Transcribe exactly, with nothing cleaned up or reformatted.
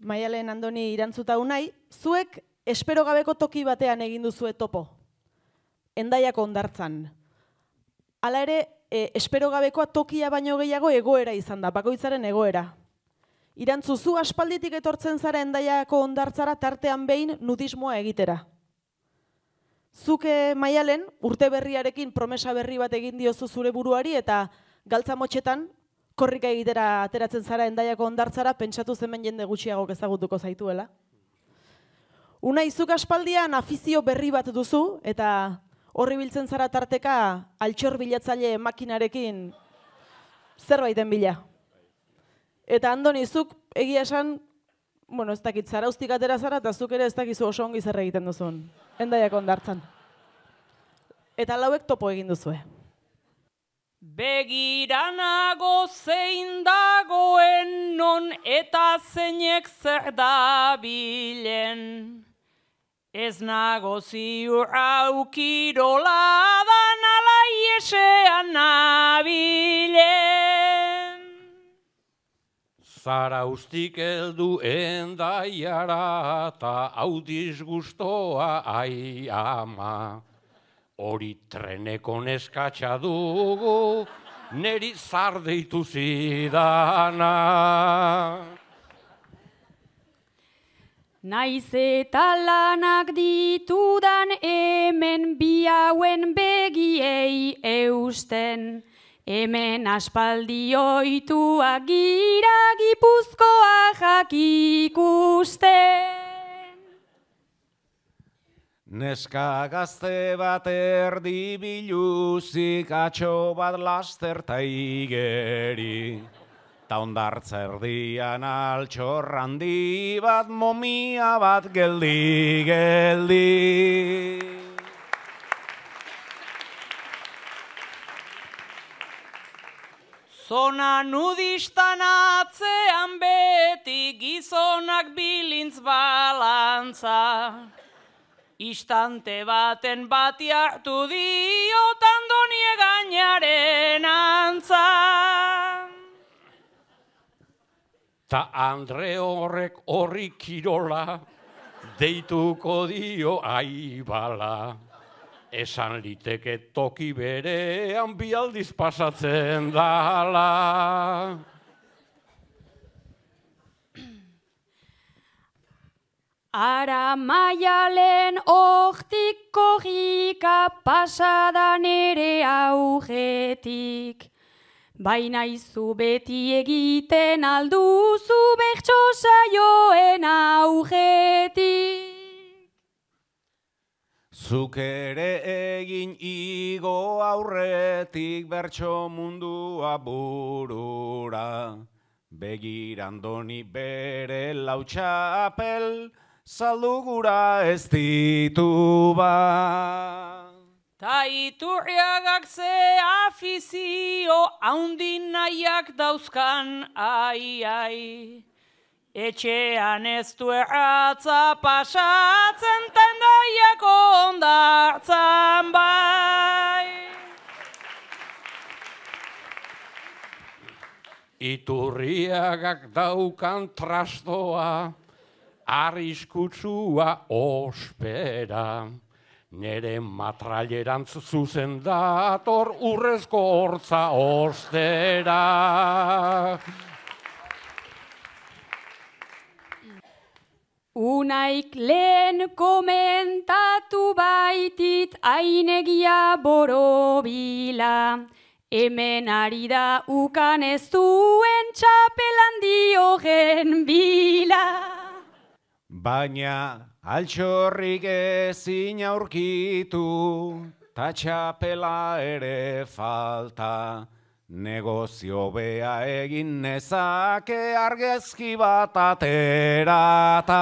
Maialen Andoni irantzuta unai, zuek espero gabeko toki batean egin duzue topo. Hendaiako hondartzan. Hala ere, e, espero gabekoa tokia baino gehiago egoera izan da, bakoitzaren egoera. Irantzu, zu aspalditik etortzen zara Hendaiako hondartzara tartean behin nudismoa egitera. Zuke Maialen, urte berriarekin promesa berri bat egin diozu zure buruari eta galtza motxetan korrika egitera ateratzen zara Hendaiako hondartzara, pentsatu hemen jende gutxiagok ezagutuko zaituela. Unai, zuk aspaldian afizio berri bat duzu eta horri biltzen zara tarteka altxor bilatzaile makinarekin zerbaiten bila. Eta Andoni, zuk egia esan, bueno, ez dakit, zarauztik atera zara eta zuk ere ez dakizu oso ongi zer egiten duzun Hendaiako hondartzan. Eta lauek topo egin duzue. Begiranago zein dagoen non eta zeinek zer dabilen. Ez nago ziur aukirola dan ala iesean nabilen. Zarauztik heldu Hendaiara ta hau disgustoa ai ama. Hori treneko neskatxa dugu, neri zar deitu zidana. Naiz eta lanak ditudan hemen bi hauen begiei eusten. Hemen aspaldi oituak gira Gipuzkoa jakikusten. Neska gazte bat erdi biluzik atxo bat laster ta igeri. Ta hondartza erdian altxor handi bat momia bat geldi-geldi. Zona nudistan atzean beti gizonak bilintz balantza. Istante baten bati hartu diot Andonie gainaren antza. Ta Andre horrek horri kirola, deituko dio aibala. Esan liteke toki berean bi aldiz pasatzen dala. Ara Maialen hortik korrika pasadan ere augetik. Baina izu beti egiten alduzu bertso saioen augetik. Zuk ere egin igo aurretik bertso mundua burura. Begira Andoni bere lautxapel, zaldugura ez ditu ba. Ta Iturriagak ze afizio haundin nahiak dauzkan, ai, ai. Etxean ez du erratza pasatzen ta Hendaiako hondartzan bai. Iturriagak daukan trastoa, arriskutsua ospera. Nere matrailerantz zuzen dator urrezko hortza ostera. Unaik lehen komentatu baitit ainegia borobila. Hemen ari da ukan ez duen txapelan diogen bila. Baina altxorrik ezin aurkitu, ta txapela ere falta. Negozio bea egin nezake argazki bat aterata.